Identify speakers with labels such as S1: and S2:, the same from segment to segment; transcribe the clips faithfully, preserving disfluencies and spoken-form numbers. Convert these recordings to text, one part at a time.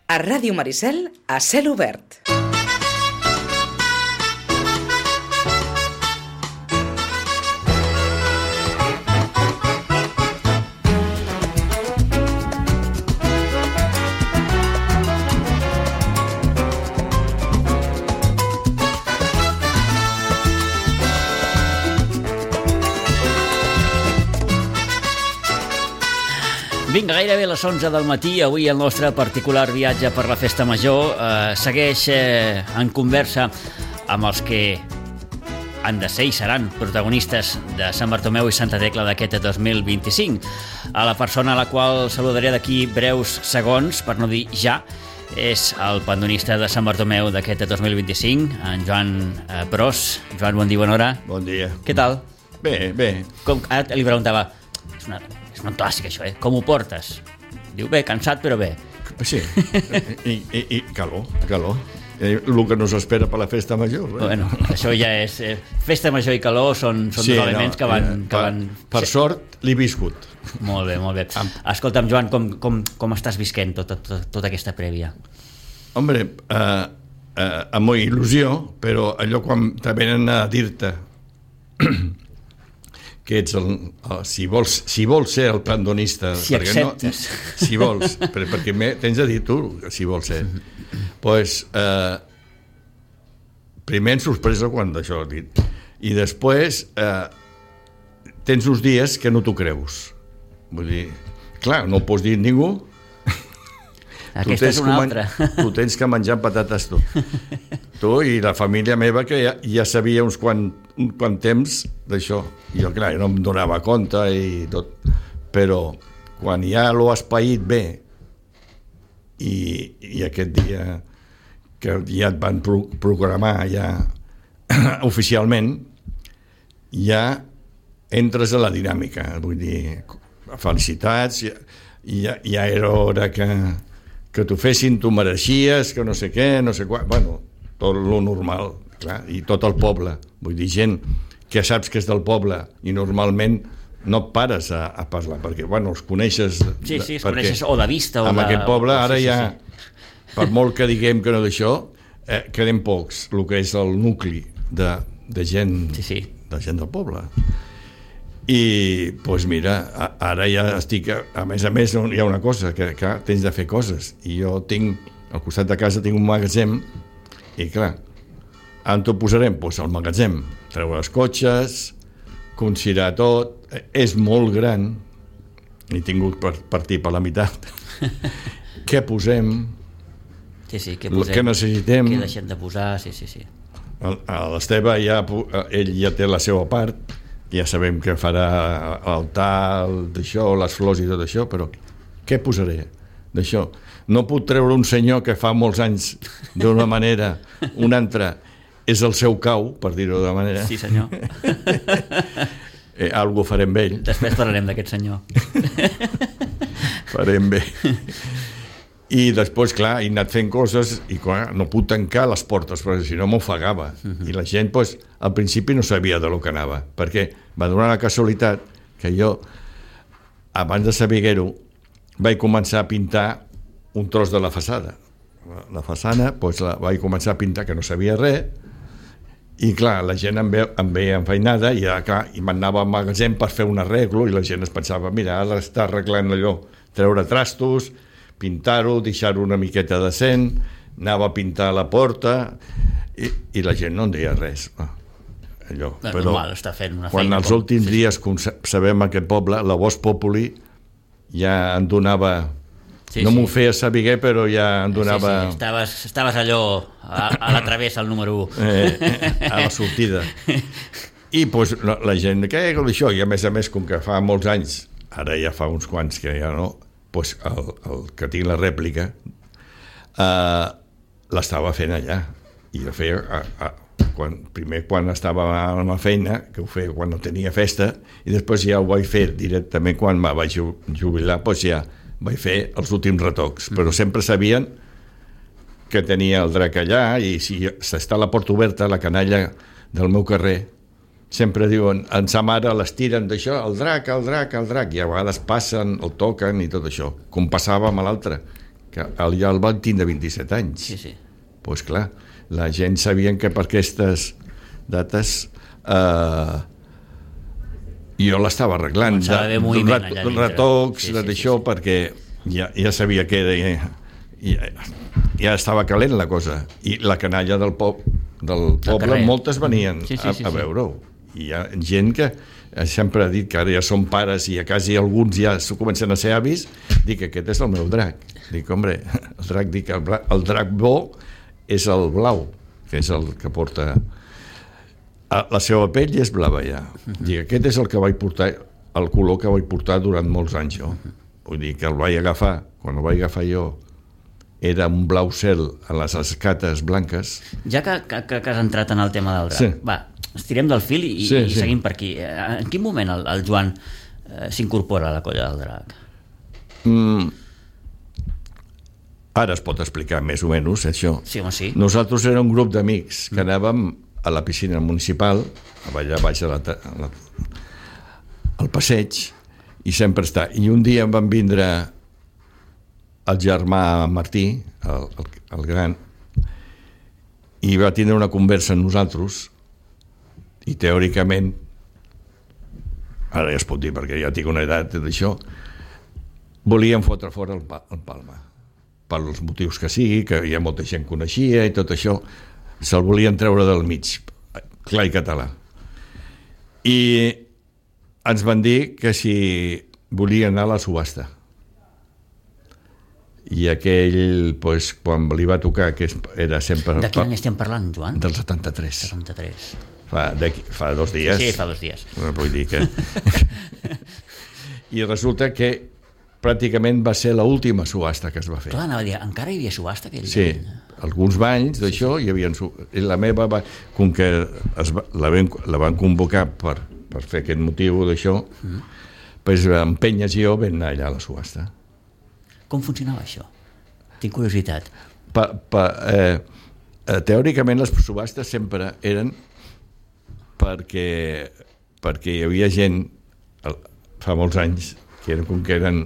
S1: A Ràdio Maricel, a cel obert.
S2: Vinga, gairebé a les onze del matí, avui el nostre particular viatge per la Festa Major eh, segueix eh, en conversa amb els que han de ser i seran protagonistes de Sant Bartomeu i Santa Tecla d'aquest dos mil vint-i-cinc. A la persona a la qual saludaré d'aquí breus segons, per no dir ja, és el pandonista de Sant Bartomeu d'aquest dos mil vint-i-cinc, en Joan eh, Pros. Joan, bon dia, bona hora.
S3: Bon dia.
S2: Què tal?
S3: Bé, bé.
S2: Com, ara li preguntava, és una... És un clàssic, això, eh? Com ho portes? Diu, bé, cansat, però bé.
S3: Sí, i, i, i calor, calor. Eh, el que nos espera per la festa major. Eh?
S2: Bueno, això ja és... Eh, festa major i calor són, són sí, dos elements no, que van... Eh, que van...
S3: Per, per sort, l'he viscut.
S2: Molt bé, molt bé. Escolta'm, Joan, com, com, com estàs visquent tota, tota, tota aquesta prèvia?
S3: Hombre, eh, eh, amb molt il·lusió, però allò quan te venen a dir-te que ets el, el, si, vols, si vols ser el pandonista,
S2: si acceptes
S3: no, si vols, per, perquè me, tens de dir tu si vols ser pues, eh, primer en sorpresa quan d'això he dit i després eh, tens uns dies que no t'ho creus, vull dir, clar, no ho pots dir a ningú.
S2: Aquesta és una altra.
S3: Tu tens que menjar patates tu. Tu i la família meva que ja, ja sabia uns quant, un quant temps d'això. Jo, clar, no em donava compte i tot. Però quan ja l'ho has paït bé i, i aquest dia que ja et van pro programar ja oficialment, ja entres a la dinàmica. Vull dir, felicitats, ja, ja, ja era hora que que t'ho fessin, tu mereixies, que no sé què, no sé quan, bueno, tot lo normal, clar, i tot el poble, vull dir, gent que saps que és del poble i normalment no et pares a, a parlar, perquè, bueno, els coneixes...
S2: Sí, sí, els coneixes o de vista o
S3: amb
S2: de...
S3: aquest poble ara
S2: sí, sí,
S3: ja,
S2: sí.
S3: Per molt que diguem que no d'això, eh, quedem pocs, el que és el nucli de, de gent,
S2: sí, sí.
S3: de gent del poble. I, doncs pues mira, ara ja estic... A més a més, hi ha una cosa, que, que tens de fer coses. I jo tinc, al costat de casa tinc un magatzem, i clar, on t'ho posarem? Doncs pues al magatzem. Treure els cotxes, considerar tot... És molt gran, he tingut per partir per la meitat. Què posem?
S2: Sí, sí, què posem?
S3: Què necessitem?
S2: Què deixem de posar? Sí, sí, sí.
S3: L'Esteve ja, ell ja té la seva part, ja sabem que farà l'altar d'això, les flors i tot això, però què posaré d'això? No puc treure un senyor que fa molts anys d'una manera, un altre és el seu cau, per dir-ho de manera.
S2: Sí, senyor.
S3: eh, algo farem bé ell.
S2: Després parlarem d'aquest senyor.
S3: Farem bé. I després, clar, he anat fent coses i clar, no puc tancar les portes perquè si no m'ofegava. Uh-huh. I la gent, pues, al principi no sabia de lo que anava, perquè va donar la casualitat que jo, abans de saber-ho, vaig començar a pintar un tros de la façana. La façana, pues, la vaig començar a pintar, que no sabia res, i clar, la gent em veia, em veia enfeinada i, clar, i m'anava al magatzem per fer un arreglo i la gent es pensava, mira, ara està arreglant allò, treure trastos, pintar-ho, deixar-ho una miqueta decent, anava a pintar la porta i, i la gent no en deia res. Allò.
S2: No,
S3: però
S2: normal, està fent una
S3: quan
S2: feina
S3: els
S2: com...
S3: últims
S2: sí,
S3: dies, com sabem aquest poble, la Vox Populi ja en donava... Sí, no sí. M'ho feia saber, però ja en donava...
S2: Sí, sí. Estaves, estaves allò a, a la travessa, al número u.
S3: Eh, a la sortida. I pues, la, la gent, què és això? I a més a més, com que fa molts anys, ara ja fa uns quants que ja no... Pues el, el que tinc la rèplica eh, l'estava fent allà i ho feia a, a, quan, primer quan estava a la feina, que ho feia quan no tenia festa, i després ja ho vaig fer directament quan me vaig jubilar, doncs ja vaig fer els últims retocs, però sempre sabien que tenia el drac allà i si està la porta oberta, la canalla del meu carrer sempre diuen, en sa mare les tiren d'això, el drac, el drac, el drac, i a vegades passen, el toquen i tot això, com passava amb l'altre, que el, ja el van tindre vint-i-set anys.
S2: Sí, sí.
S3: Doncs pues clar, la gent sabien que per aquestes dates eh, jo l'estava arreglant.
S2: Començava a haver moviment allà dintre.
S3: Retocs,
S2: sí, sí,
S3: d'això,
S2: sí, sí.
S3: perquè ja, ja sabia que era... Ja, ja, ja estava calent la cosa. I la canalla del, po del poble, moltes venien
S2: sí, sí, sí,
S3: a, a veure-ho. I hi ha gent que sempre ha dit que ara ja són pares i a quasi alguns ja comencen a ser avis, dic que aquest és el meu drac. Dic, home, el drac, dic, el, el drac bo és el blau, que és el que porta... La seva pell és blava ja. Dic, aquest és el que vaig portar, el color que vaig portar durant molts anys jo. Vull dir que el vaig agafar, quan el vaig agafar jo, era un blau cel a les escates blanques.
S2: Ja que, que, que has entrat en el tema del drac,
S3: sí.
S2: va, estirem del fil i,
S3: sí,
S2: i
S3: sí.
S2: seguim per aquí. En quin moment el, el Joan eh, s'incorpora a la colla del drac?
S3: Mm, ara es pot explicar més o menys això.
S2: Sí, home, sí.
S3: Nosaltres érem un grup d'amics que anàvem a la piscina municipal, allà baix a la, a la, al passeig, i sempre està. I un dia em van vindre el germà Martí, el, el, el gran, i va tindre una conversa amb nosaltres, i teòricament, ara ja es pot dir perquè ja tinc una edat d'això, volien fotre fora el, el Palma, pels motius que sigui, que hi ha molta gent que coneixia i tot això, se'l volien treure del mig, clar i català. I ens van dir que si volia anar a la subhasta. I aquell, pues, quan li va tocar, que era sempre...
S2: De quin any estem parlant, Joan?
S3: Del setanta-tres.
S2: setanta-tres.
S3: Fa, fa dos dies.
S2: Sí, fa dos dies.
S3: Vull dir que... I resulta que pràcticament va ser l'última subhasta que es va fer.
S2: Clar, anava a dir, encara hi havia subhasta aquell
S3: sí, any? Alguns banys d'això hi havia... I la meva, va, com que es va, la, van, la van convocar per, per fer aquest motiu d'això, mm. pues, empenyes i jo vam anar allà a la subhasta.
S2: Com funcionava això? Tinc curiositat.
S3: Pa, pa, eh, eh, teòricament les subhastes sempre eren perquè, perquè hi havia gent fa molts anys que eren com que eren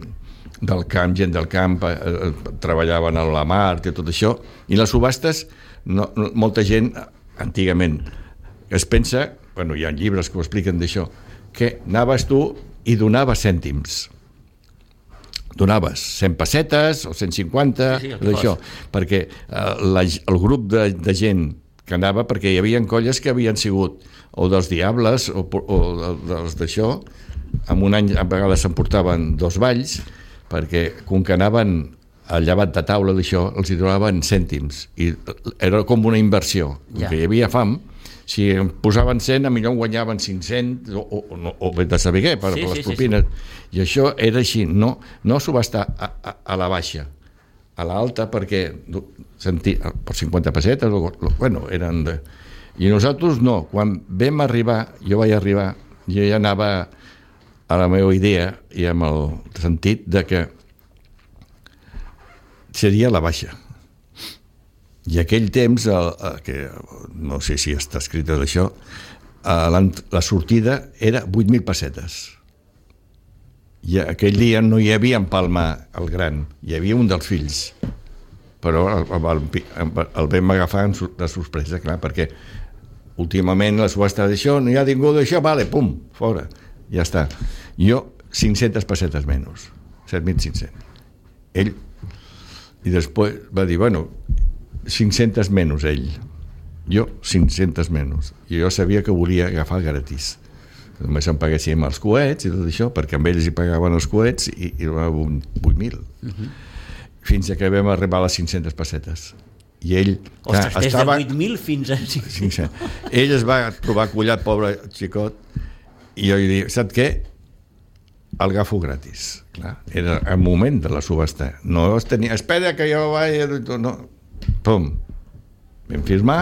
S3: del camp, gent del camp, eh, treballaven a la mar i tot això, i les subhastes no, no, molta gent antigament es pensa, bueno, hi ha llibres que ho expliquen d'això, que anaves tu i donaves cèntims, donaves cent pessetes o cent cinquanta, sí, sí, d'això, perquè eh, la, el grup de, de gent que anava, perquè hi havia colles que havien sigut o dels Diables o, o dels d'això, en un any a vegades s'emportaven dos balls, perquè com que anaven al llevat de taula d'això, els hi donaven cèntims, i era com una inversió, ja. Que hi havia fam, si em posaven cent, a millor guanyaven cinc-cents o, o, o, o bé de saber què, per, sí, per les sí, propines. Sí, sí. I això era així, no, no s'ho va estar a, a, a la baixa, a l'alta, perquè senti, per cinquanta pessetes, o, bueno, eren de... I nosaltres no, quan vam arribar, jo vaig arribar, jo ja anava a la meva idea i amb el sentit de que seria la baixa. I aquell temps, el, el, que no sé si està escrit d'això, la sortida era vuit mil pessetes. I aquell dia no hi havia en Palma el gran, hi havia un dels fills, però el, el, el vam agafar de sorpresa, clar, perquè últimament la subhasta d'això, no hi ha ningú d'això, vale, pum, fora, ja està. Jo, cinc-centes pessetes menys, set mil cinc-cents. Ell, i després va dir, bueno, cinc-centes menys ell, jo cinc-centes menys, i jo sabia que volia agafar gratis, només em paguéssim els coets i tot això, perquè amb ells hi pagaven els coets i, i donaven vuit mil, uh-huh. Fins a que vam arribar a les cinc-centes pessetes, i ell
S2: Ostres, des estava... de vuit mil fins a
S3: cinc-cents. Ell es va trobar collat, pobre xicot, i jo li dic, saps què? El agafo gratis, clar, era el moment de la subhasta, no es tenia, espera que jo vaig, no, pum, vam firmar.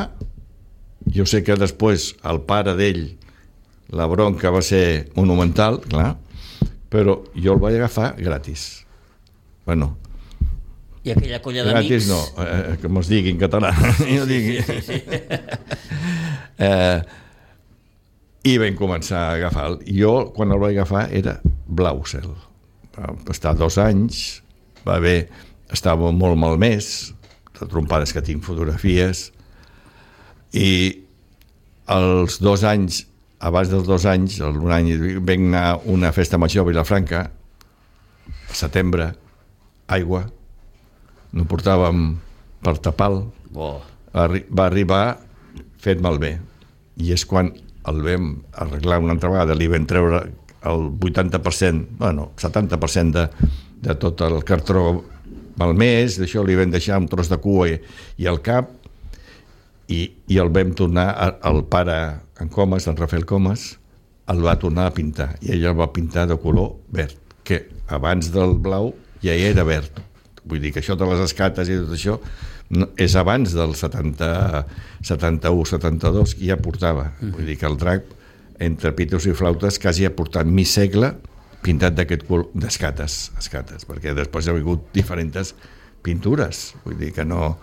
S3: Jo sé que després el pare d'ell, la bronca va ser monumental, clar, però jo el vaig agafar gratis. Bueno,
S2: i aquella colla d'amics...
S3: Gratis no, eh, com es digui en català.
S2: Sí, sí, sí, sí, sí.
S3: eh, I vam començar a agafar. Jo, quan el vaig agafar, era blau cel. Va estar dos anys, va haver estava molt malmès, de trompades que tinc fotografies, i als dos anys, abans dels dos anys, un any, vam anar a una festa major a Vilafranca, al setembre, aigua, no portàvem per tapal,
S2: Oh.
S3: Arri- va arribar fet malbé, i és quan el vam arreglar una altra vegada, li vam treure el vuitanta per cent, bueno, setanta per cent de, de tot el cartró malmès, d'això li vam deixar un tros de cua i, i el cap, i, i el vam tornar, a, el pare en Comas, en Rafael Comas, el va tornar a pintar, i ell el va pintar de color verd, que abans del blau ja era verd. Vull dir que això de les escates i tot això no, és abans del setanta, setanta-u setanta-dos que ja portava. Mm-hmm. Vull dir que el drac, entre pitos i flautes, quasi ha portat mig segle pintat d'aquest color d'escates, escates, perquè després ha hagut diferents pintures. Vull dir que no...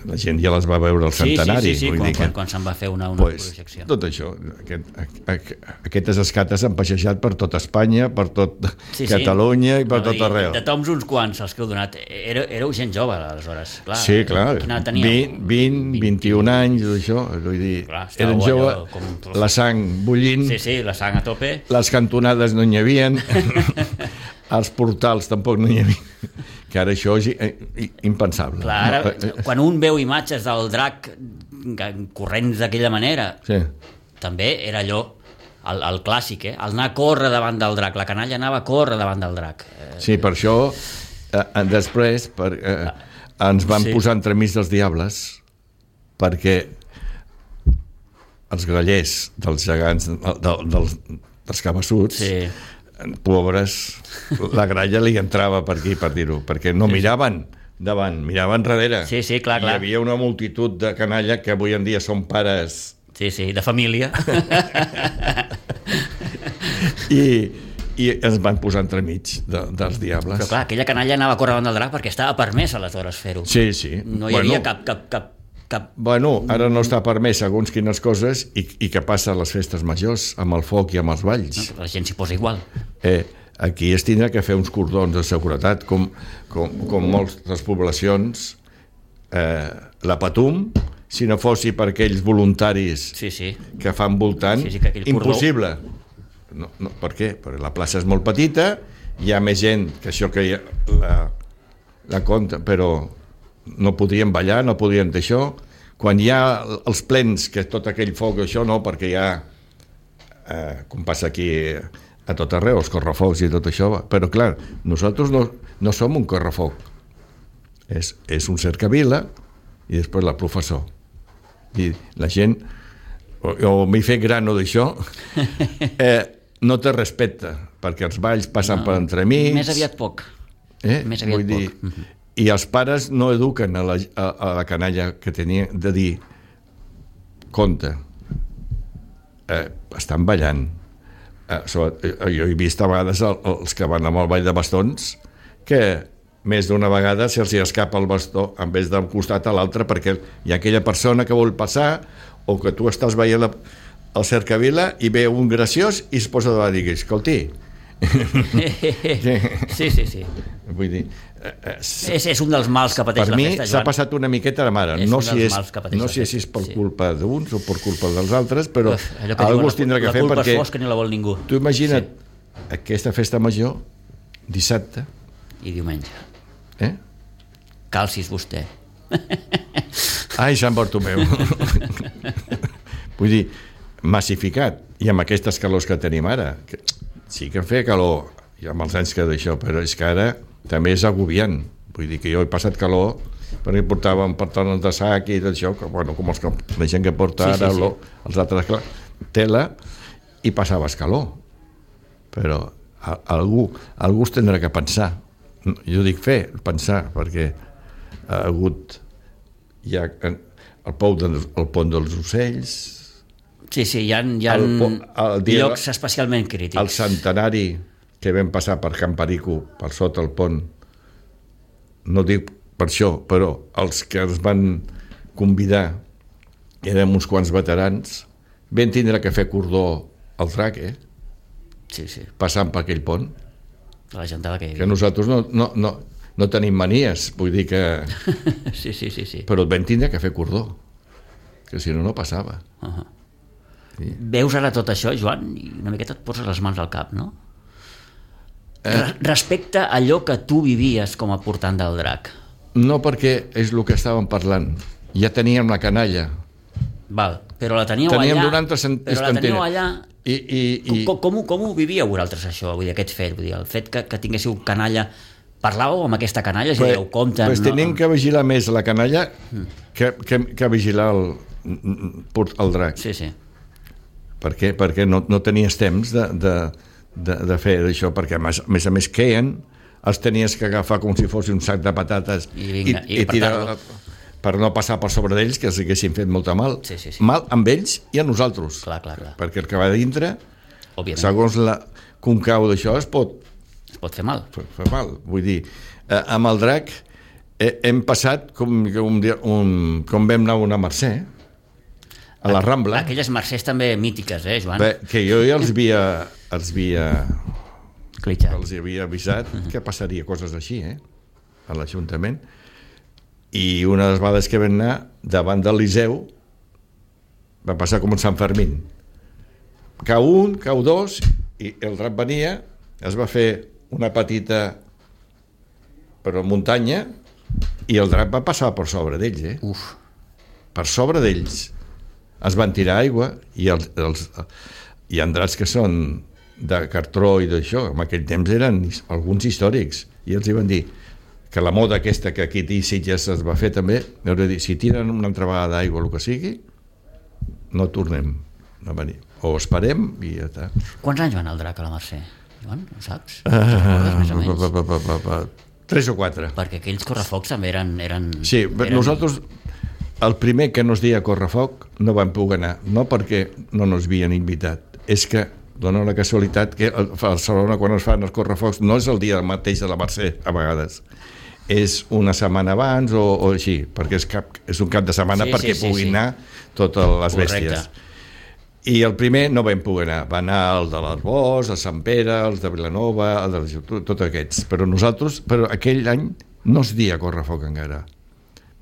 S3: La gent ja les va veure al centenari.
S2: Sí, sí, sí, sí,
S3: vull
S2: quan,
S3: dir que,
S2: quan, quan se'n va fer una, una
S3: pues,
S2: projecció.
S3: tot això, aquest, a, a, aquestes escates han passejat per tot Espanya, per tot
S2: Sí, sí.
S3: Catalunya i per
S2: No,
S3: tot arreu.
S2: De toms uns quants, els que heu donat. Éreu, éreu gent jove, aleshores. Clar,
S3: Sí, clar,
S2: quina edat teníeu?
S3: vint, vint, vint-i-un anys, això, vull dir,
S2: Clar, estàveu
S3: eren
S2: allò
S3: jove,
S2: com-
S3: la sang bullint,
S2: Sí, sí, la sang a tope.
S3: les cantonades no n'hi havien, els portals tampoc no n'hi havia, que ara això és i- impensable.
S2: Clar, ara,
S3: No?
S2: quan un veu imatges del drac corrents d'aquella manera,
S3: Sí.
S2: també era allò, el, el clàssic, eh? El anar a córrer davant del drac. La canalla anava a córrer davant del drac. Eh,
S3: Sí, per això eh, després per, eh, ens van
S2: Sí.
S3: posar entremig dels diables, perquè els grallers dels gegants, de, dels, dels cabassuts,
S2: sí.
S3: pobres, la gralla li entrava per aquí, per dir-ho, perquè no miraven davant, miraven darrere.
S2: Sí, sí, clar, clar.
S3: Hi havia una multitud de canalla que avui en dia són pares
S2: Sí, sí, de família.
S3: i, i ens van posar entremig de, dels diables.
S2: Però clar, aquella canalla anava a córrer davant del drac perquè estava permès aleshores fer-ho.
S3: Sí, sí.
S2: No hi havia cap, cap, cap, cap...
S3: Bueno, ara no està permès segons quines coses i, i què passa a les festes majors, amb el foc i amb els balls.
S2: No, la gent s'hi posa igual.
S3: Eh, aquí es tindrà que fer uns cordons de seguretat, com, com, com moltes poblacions. Eh, la Patum, si no fossi per aquells voluntaris
S2: Sí, sí.
S3: que fan voltant,
S2: Sí, sí, que aquell cordó-
S3: impossible. No, no, per què? Perquè la plaça és molt petita, hi ha més gent que això que hi ha, la, la compta, però no podien ballar, no podien d'això. Quan hi ha els plens, que tot aquell foc, això no, perquè hi ha, eh, com passa aquí a tot arreu, els correfocs i tot això, però clar, nosaltres no, no som un correfoc, és, és un cercavila i després la professor. I la gent, o, o m'he fet grano d'això, eh, no te respecta, perquè els balls passen
S2: No,
S3: per entremig.
S2: Més aviat poc.
S3: Eh?
S2: Més aviat
S3: Vull dir,
S2: poc.
S3: i els pares no eduquen a la, a, a la canalla que tenia de dir compte, eh, estan ballant. Eh, sobre, eh, jo he vist a vegades el, els que van amb el ball de bastons que més d'una vegada se'ls escapa el bastó en vez d'un costat a l'altre perquè hi ha aquella persona que vol passar o que tu estàs veient la, el cercavila i ve un graciós i es posa davant i digui, escolti,
S2: Sí, sí, sí.
S3: vull dir, eh, eh,
S2: És, és un dels mals que pateix
S3: per
S2: la
S3: mi
S2: festa,
S3: s'ha
S2: Joan.
S3: passat una miqueta de mare.
S2: És
S3: No
S2: un
S3: si
S2: dels
S3: és,
S2: mals que pateix
S3: no
S2: la
S3: sé
S2: festa,
S3: si és per
S2: sí.
S3: culpa d'uns o per culpa dels altres, però
S2: Uf, allò que
S3: algú
S2: diuen,
S3: es tindrà que
S2: la
S3: fer
S2: culpa
S3: perquè...
S2: és fosca ni la vol ningú.
S3: Tu imagina't sí. aquesta festa major, dissabte,
S2: I diumenge.
S3: eh?
S2: Calcis vostè.
S3: Ai, Sant Bartomeu. Vull dir, massificat, i amb aquestes calors que tenim ara, que sí que feia calor, i amb els anys que d'això, però és que ara també és agobiant. Vull dir que jo he passat calor, perquè portàvem pantalons de sac i tot això, que, bueno, com els que, la gent que porta
S2: Sí, sí,
S3: ara,
S2: sí.
S3: lo- els altres, clar, tela, i passaves calor. Però a, algú, algú es tindrà que pensar. Jo dic fer, pensar, perquè ha hagut hi ha el, pou de, el pont dels ocells,
S2: Sí, sí, hi ha, hi ha
S3: El po- el dia-
S2: llocs especialment crítics.
S3: el centenari que vam passar per Can Perico, per sota el pont, no dic per això, però els que ens van convidar érem uns quants veterans, vam tindre que fer cordó al drac, eh?
S2: Sí, sí,
S3: Passant per aquell pont,
S2: la gentada que hi
S3: que
S2: havia.
S3: nosaltres no, no, no no tenim manies, vull dir que...
S2: Sí, sí, sí, sí.
S3: Però et vam tindre que fer cordó, que si no, no passava.
S2: Uh-huh. Sí. Veus ara tot això, Joan, i una miqueta et poses les mans al cap, no? Eh? Respecte a allò que tu vivies com a portant del drac.
S3: No, perquè és el que estàvem parlant. Ja teníem la canalla.
S2: Val, però la teníeu
S3: teníem
S2: allà...
S3: noranta cent...
S2: Però la teníeu allà...
S3: I, i, i...
S2: Com, com, com ho vivíeu vosaltres, això, vull dir, aquest fet? Vull dir, el fet que, que tinguéssiu canalla... Parlàveu amb aquesta canalla? Si dieu, compte...
S3: Pues
S2: no...
S3: tenim que vigilar més la canalla que, que, que vigilar el, el drac.
S2: Sí, sí.
S3: Per què? Perquè no, no tenies temps de, de, de, de fer això, perquè a més, a més a més queien, els tenies que agafar com si fos un sac de patates
S2: i, vinga, i,
S3: i, i tirar per no passar per sobre d'ells, que els haguessin fet molta mal.
S2: Sí, sí, sí.
S3: Mal amb ells i a nosaltres.
S2: Clar, clar, clar.
S3: Perquè el que va dintre,
S2: òbviament,
S3: segons la concau d'això, es pot,
S2: es pot fer mal.
S3: Fer, fer mal. Vull dir, eh, amb el drac eh, hem passat com, com, un, com vam anar a una Mercè, a la Rambla.
S2: Aquelles Mercès també mítiques, eh, Joan?
S3: Bé, que jo ja els havia, els havia,
S2: Clitxat.
S3: els havia avisat uh-huh. que passaria coses així, eh, a l'Ajuntament. I una de les vegades que vam anar davant del Liceu va passar com un Sant Fermín. Cau un, cau dos, i el drac venia, es va fer una petita però muntanya, i el drac va passar per sobre d'ells, eh?
S2: Uf.
S3: Per sobre d'ells. Es van tirar aigua, i els, els, hi ha dracs que són de cartró i d'això, en aquell temps eren alguns històrics, i els hi van dir que la moda aquesta que aquí a Sitges es va fer també, heu de dir, si tiren una altra vegada d'aigua o el que sigui, no tornem a venir. O esperem i ja està.
S2: Quants anys van el drac a la Mercè? Joan, ho saps?
S3: Uh, pa, pa, pa, pa, pa. Tres o quatre.
S2: Perquè aquells correfocs també eren... eren
S3: sí,
S2: eren...
S3: nosaltres, el primer que no es deia correfoc, no vam poder anar, no perquè no nos havien invitat, és que dona la casualitat que a Barcelona quan es fan els correfocs no és el dia mateix de la Mercè, a vegades. És una setmana abans o, o així, perquè és, cap, és un cap de setmana sí, perquè sí, sí, puguin sí. anar totes les bèsties. Correcte. I el primer no vam poder anar, va anar el de l'Arbós, el Sant Pere, els de Vilanova, el de tots aquests, però nosaltres, però aquell any no es dia correfoc encara,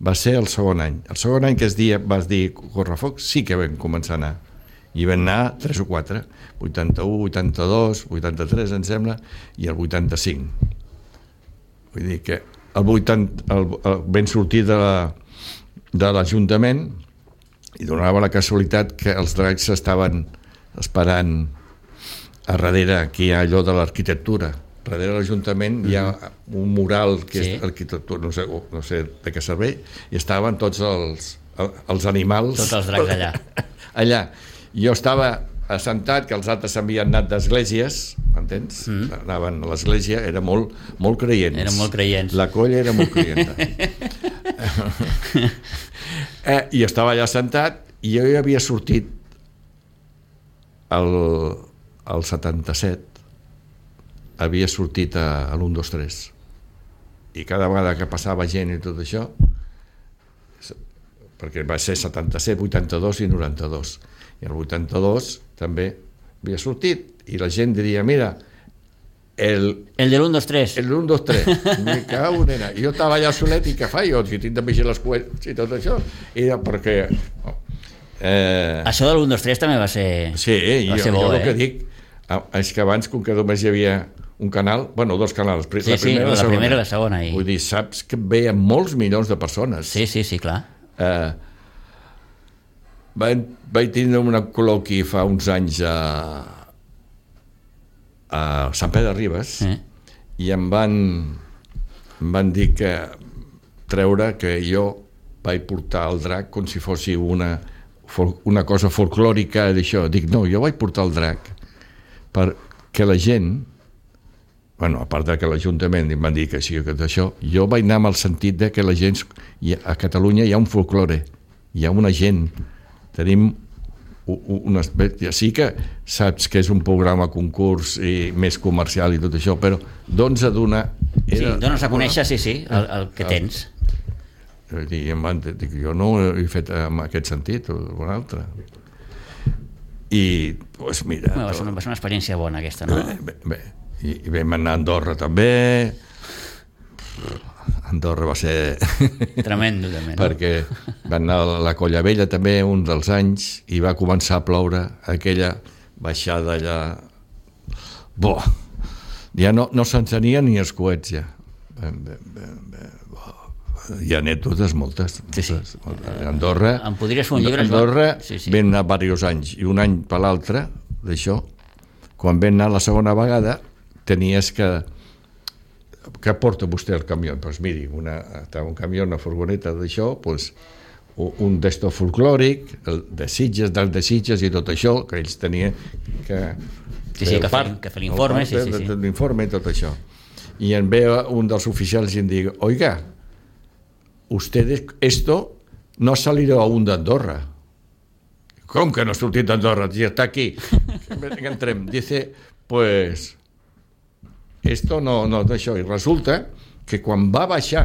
S3: va ser el segon any. El segon any que es dia, vas dir correfoc, sí que vam començar a anar, i vam anar tres o quatre, vuitanta-u, vuitanta-dos, vuitanta-tres em sembla, i el vuitanta-cinc. Vull dir que el vuitanta, el, el, vam sortir de la, de l'Ajuntament i donava la casualitat que els dracs estaven esperant a darrere, aquí hi ha allò de l'arquitectura, darrere de l'Ajuntament hi ha un mural que sí. és arquitectura, no sé, no sé de què serveix, i estaven tots els, els animals
S2: tots els dracs allà
S3: allà. Jo estava assentat, que els altres s'havien anat d'esglésies, m'entens? Mm. Anaven a l'església, era molt, molt creients.
S2: Eren molt creients.
S3: La colla era molt creienta. eh, I estava allà assentat, i jo ja havia sortit el, el setanta-set, havia sortit a, a l'u, dos, tres. I cada vegada que passava gent i tot això, perquè va ser setanta-set, vuitanta-dos i noranta-dos. I el vuitanta-dos també havia sortit i la gent diria, mira el,
S2: el de l'u, dos, tres
S3: el l'u, dos, tres me cago, nena. I jo estava allà solet i què fa jo? Si tinc de vigilar les coets i tot això, i era perquè oh, eh...
S2: això de l'u, dos, tres també va ser
S3: sí,
S2: va
S3: jo,
S2: ser bo,
S3: jo el
S2: eh?
S3: que dic és que abans, com que només hi havia un canal, bueno, dos canals,
S2: sí,
S3: la primera,
S2: sí, la primera i la segona i...
S3: vull dir, saps que veien molts milions de persones.
S2: Sí, sí, sí, clar.
S3: eh Vaig, vaig tindre un col·loqui fa uns anys a, a Sant Pere de Ribes sí. i em van, em van dir que treure que jo vaig portar el drac com si fos una, una cosa folclòrica d'això. Dic, no, jo vaig portar el drac perquè la gent, bueno, a part de que l'Ajuntament em van dir que sí, que d'això, jo vaig anar amb el sentit de que la gent, a Catalunya hi ha un folklore, hi ha una gent, tenim una espècie, sí que saps que és un programa concurs i més comercial i tot això, però doncs a donar...
S2: Sí, dones a conèixer, sí, sí, el, el que tens.
S3: I em van dir, jo no ho he fet en aquest sentit o un altre. I, doncs mira...
S2: Va ser una, va ser una experiència bona aquesta, no?
S3: Bé, bé, bé. I, i vam anar a Andorra també, Andorra va ser...
S2: Tremendo, també, no?
S3: Perquè van anar a la Colla Vella també un dels anys i va començar a ploure aquella baixada allà... Boh! Ja no, no s'encenien ni els coets, ja. Ben, ben, ben, ben, hi ha anècdotes moltes.
S2: Sí, sí.
S3: Moltes. Andorra...
S2: Em podries fer un llibre?
S3: Andorra
S2: sí, sí.
S3: vam anar diversos anys, i un any per l'altre, d'això, quan vam anar la segona vegada, tenies que... Què porta vostè el camió? Doncs pues miri, una, un camió, una furgoneta d'això, pues, un d'esto folclòric, el de Sitges, dels de Sitges i tot això, que ells tenien que...
S2: Sí, sí, que fer, que fer l'informe, sí, sí, sí.
S3: L'informe i tot això. I en ve un dels oficials i em diu, oiga, ustedes, esto no ha salido aún d'Andorra. Com que no ha sortit d'Andorra? Ja està aquí. Entrem. Dice, pues... esto no, no, això, i resulta que quan va baixar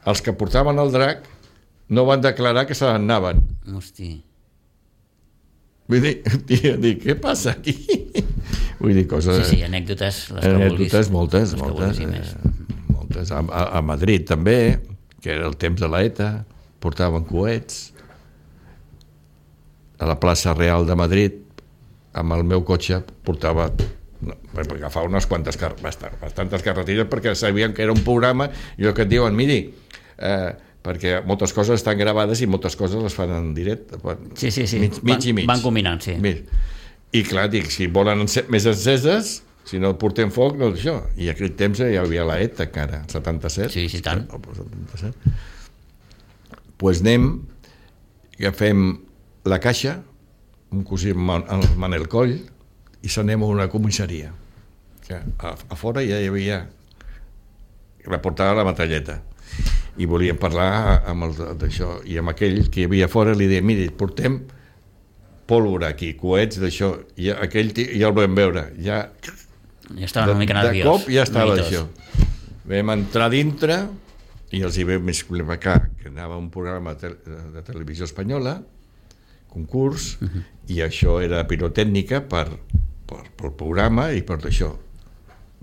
S3: els que portaven el drac no van declarar que se n'anaven.
S2: Hosti.
S3: Vull dir, tia, dic, què passa aquí? Vull dir, coses...
S2: Sí, sí, anècdotes, les que
S3: anècdotes,
S2: vulguis.
S3: moltes,
S2: les
S3: moltes, eh, moltes. A, a, a Madrid també, que era el temps de l'ETA, portaven coets. A la plaça Real de Madrid, amb el meu cotxe, portava... No, per agafar unes quantes car bastantes carreteres perquè sabien que era un programa i el que et diuen, miri eh, perquè moltes coses estan gravades i moltes coses les fan en directe,
S2: sí, sí, sí.
S3: mig, mig
S2: van,
S3: i mig
S2: van combinant, sí.
S3: Mig. I clar, dic, si volen més enceses, si no portem foc, no això, i aquell temps ja hi havia la ETA encara, setanta-set,
S2: sí, sí, tant.
S3: setanta-set. Pues anem, agafem la caixa, un cosí el Manel Coll, i s'anem a una comissaria que a, a fora ja hi havia la portava la metralleta i volíem parlar amb el d'això i amb aquell que hi havia fora li deia, miri, portem pólvora aquí, coets d'això, i aquell ja el vam veure, ja
S2: ja estava una mica nerviós,
S3: de cop ja estava això. Vam entrar dintre i els hi vam explicar que anava un programa de, de televisió espanyola, concurs, uh-huh. i això era pirotècnica per Per, pel programa i per això.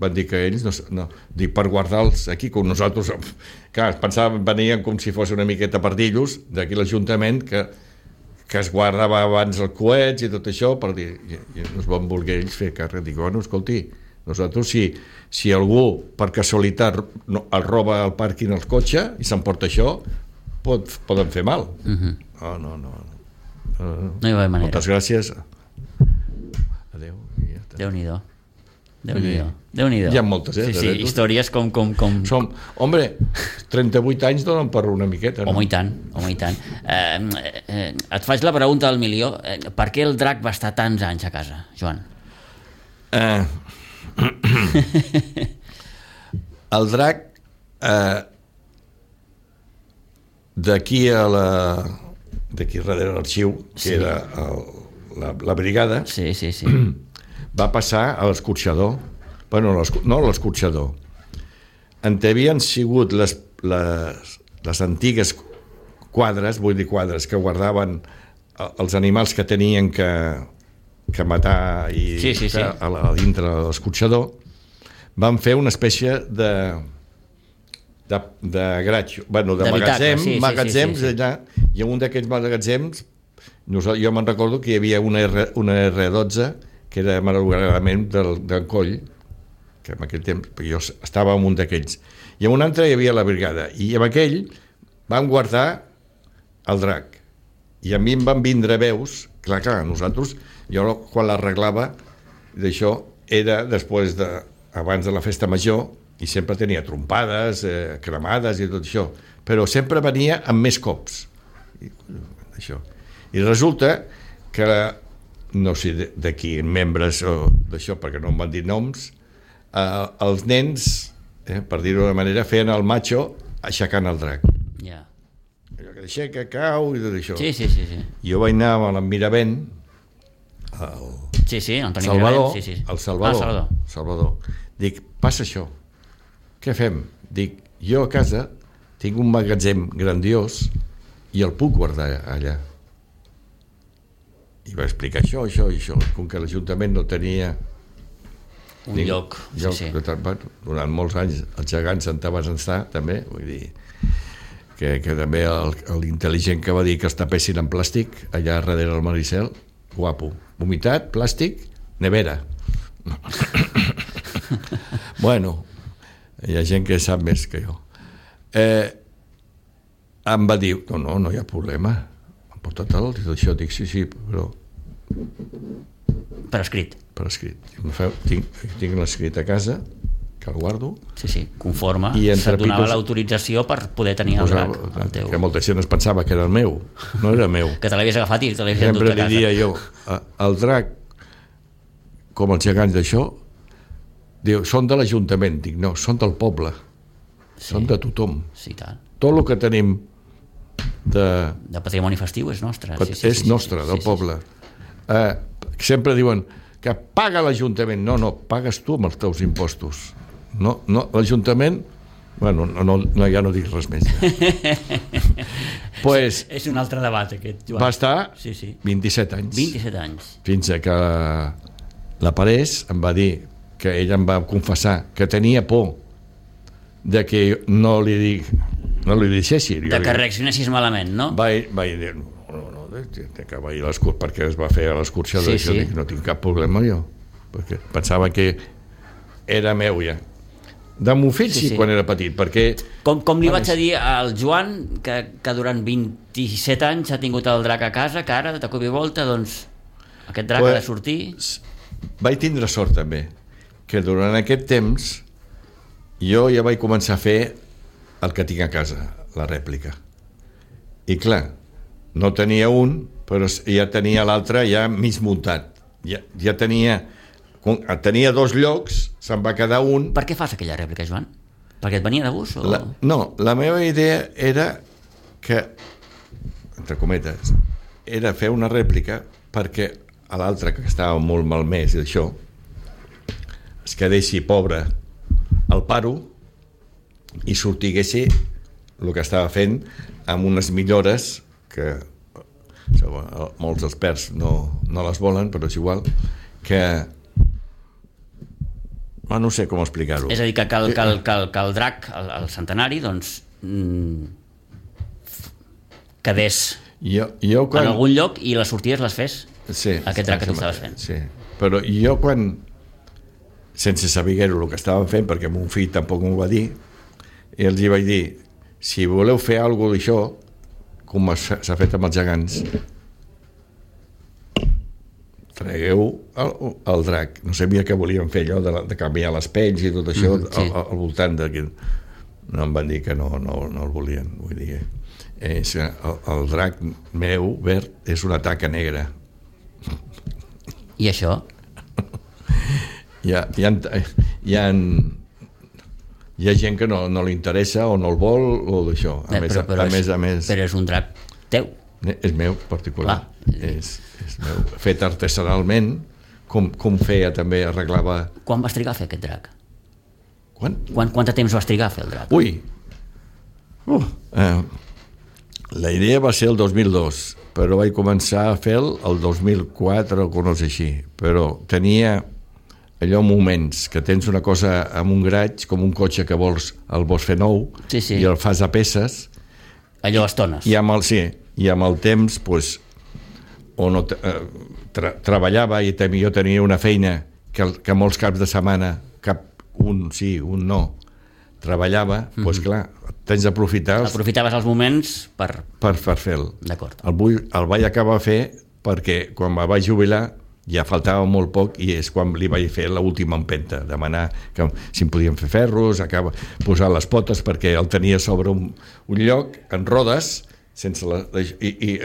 S3: Van dir que ells no, no, dic, per guardar-los aquí com nosaltres, clar, pensaven, venien com si fos una miqueta pardillos d'aquí l'Ajuntament que, que es guardava abans els coets i tot això per dir, i, i no es van voler ells fer càrrec. Dic, bueno, escolti, nosaltres si, si algú per casualitat no, el roba al pàrquing el cotxe i s'emporta això, pot, poden fer mal. Uh-huh. No, no, no. No, no.
S2: No hi va manera.
S3: Moltes gràcies. Adéu.
S2: Déu-n'hi-do. Déu-n'hi-do. Déu-n'hi-do.
S3: Hi ha moltes, eh?
S2: Sí, sí, històries com... com, com...
S3: Som, hombre, trenta-vuit anys donen per una miqueta, no?
S2: Home, i tant, home, i tant. Eh, eh, et faig la pregunta del milió. Eh, per què el drac va estar tants anys a casa, Joan?
S3: Eh... el drac, eh... d'aquí a la... d'aquí darrere l'arxiu, que sí. era el, la, la brigada,
S2: sí, sí, sí.
S3: va passar a l'escorxador, bueno, no a l'escorxador, en què havien sigut les, les, les antigues quadres, vull dir quadres, que guardaven els animals que tenien que, que matar i
S2: sí, sí, sí.
S3: A, a dintre de l'escorxador, van fer una espècie de de, de graig, bueno, de, de magatzem, sí, magatzems sí, sí, sí, sí. allà, i en un d'aquests magatzems jo me'n recordo que hi havia una, R, una erre dotze que era malauradament del, del Coll, que en aquell temps jo estava en un d'aquells, i en un altre hi havia la brigada, i en aquell van guardar el drac, i a mi em van vindre veus, clar, clar, nosaltres, jo quan l'arreglava d'això, era després de, abans de la festa major, i sempre tenia trompades, eh, cremades i tot això, però sempre venia amb més cops. I, això. I resulta que, no sé d'aquí, membres o d'això, perquè no em van dir noms, eh, els nens, eh, per dir-ho d'una manera, feien el macho aixecant el drac.
S2: Ja.
S3: Allò que aixeca, cau i tot això.
S2: Sí, sí, sí, sí.
S3: Jo vaig anar amb el Miravent, el
S2: sí, sí, Antoni
S3: Salvador,
S2: Miravent, sí, sí.
S3: el Salvador,
S2: ah, Salvador.
S3: Salvador. Dic, passa això. Què fem? Dic, jo a casa tinc un magatzem grandiós i el puc guardar allà. I va explicar això, això i això, com que l'Ajuntament no tenia
S2: un
S3: Tinc,
S2: lloc, sí,
S3: lloc
S2: sí.
S3: De, bueno, durant molts anys els gegants en van estar també, vull dir que, que també l'intel·ligent que va dir que els tapessin en plàstic allà darrere del Maricel, guapo, humitat, plàstic, nevera. Bueno, hi ha gent que sap més que jo. Eh, em va dir, no, no, no hi ha problema, em portat el això, dic, sí, sí, però
S2: per escrit.
S3: Per escrit. Tinc, tinc l'escrit a casa, que el guardo.
S2: Sí, sí, conforme
S3: i
S2: se't donava
S3: pitos,
S2: l'autorització per poder tenir el drac. El teu...
S3: Que molta gent es pensava que era el meu, no era meu.
S2: Que te l'havies agafat i te l'havies
S3: endut
S2: a casa.
S3: Sempre li dia jo, el drac, com els gegants d'això, diu, són de l'Ajuntament. Dic, no, són del poble. Sí. Són de tothom.
S2: Sí, tant.
S3: Tot el que tenim de...
S2: de patrimoni festiu és nostre.
S3: Sí, sí, és sí, nostre, sí, del sí, poble. Sí. Eh, sempre diuen que paga l'Ajuntament. No, no, pagues tu amb els teus impostos. No, no, l'Ajuntament... Bueno, no, no, no, ja no dic res més. Ja. Pues,
S2: és un altre debat, aquest, Joan.
S3: Va estar
S2: sí, sí.
S3: vint-i-set anys.
S2: vint-i-set anys.
S3: Fins a que la Parés em va dir que ella em va confessar que tenia por de que no li dic, no li deixessi.
S2: De que reaccionessis malament, no?
S3: Vaig, vaig dir, no, no, no, que va ir a l'excursió, perquè es va fer a l'excursió, sí, sí. Dic, no tinc cap problema jo, perquè pensava que era meu ja. De mon fill sí, sí, sí, quan era petit, perquè...
S2: Com, com li vaig a dir al Joan, que, que durant vint-i-set anys ha tingut el drac a casa, que ara, de cop i volta, doncs, aquest drac pues, ha de sortir...
S3: Vaig tindre sort, també, que durant aquest temps jo ja vaig començar a fer el que tinc a casa, la rèplica. I clar, no tenia un, però ja tenia l'altre ja mig muntat. Ja, ja tenia... Tenia dos llocs, se'n va quedar un...
S2: Per què fas aquella rèplica, Joan? Perquè et venia de gust? O...
S3: La, no, la meva idea era que, entre cometes, era fer una rèplica perquè a l'altre, que estava molt malmès i això, es quedessi pobre al paro i sortiguessi el que estava fent amb unes millores que molts experts no, no les volen, però és igual, que... Oh, no sé com explicar-ho.
S2: És a dir, que, que, el, que, el, que, el, que el drac, el, el centenari, doncs, mmm, quedés
S3: jo, jo quan...
S2: en algun lloc i les sortides les fes
S3: sí,
S2: aquest drac que tu estaves fent.
S3: Sí, però jo quan, sense saber-ho el que estàvem fent, perquè mon fill tampoc m'ho va dir, i els hi vaig dir, si voleu fer alguna d'això, com s'ha fet amb els gegants, tragueu el, el drac. No sabia que volien fer allò de, de canviar les pells i tot això mm, sí. al, al voltant de... No em van dir que no, no, no el volien. Vull dir, és, el, el drac meu, verd, és una taca negra.
S2: I això?
S3: Hi ha, hi ha, hi ha, hi ha gent que no, no li interessa o no el vol o d'això. A,
S2: eh,
S3: més,
S2: però, però
S3: a,
S2: és,
S3: més, a més...
S2: Però és un drac teu.
S3: És meu, particular. És, és meu. Fet artesanalment, com, com feia també, arreglava...
S2: Quan vas trigar a fer aquest drac?
S3: Quan?
S2: Quan quant de temps vas trigar a fer el drac?
S3: Ui! Uh, eh, la idea va ser el dos mil dos, però vaig començar a fer el dos mil quatre o no sé així, però tenia allò moments que tens una cosa amb un graig, com un cotxe que vols, el vols fer nou,
S2: sí, sí.
S3: I el fas a peces.
S2: Allò a estones.
S3: I amb el, sí, i amb el temps, pues, o no, eh, tra treballava i jo tenia una feina que, que molts caps de setmana, cap un sí, un no, treballava, doncs mm-hmm. pues, clar, tens d'aprofitar...
S2: Aprofitaves els moments per...
S3: Per, per fer-lo.
S2: D'acord.
S3: El, vull, el vaig acabar a fer perquè quan me vaig jubilar ja faltava molt poc i és quan li vaig fer l'última empenta, demanar que si em podien fer ferros, acaba, posar les potes perquè el tenia sobre un, un lloc en rodes, sense la, i, i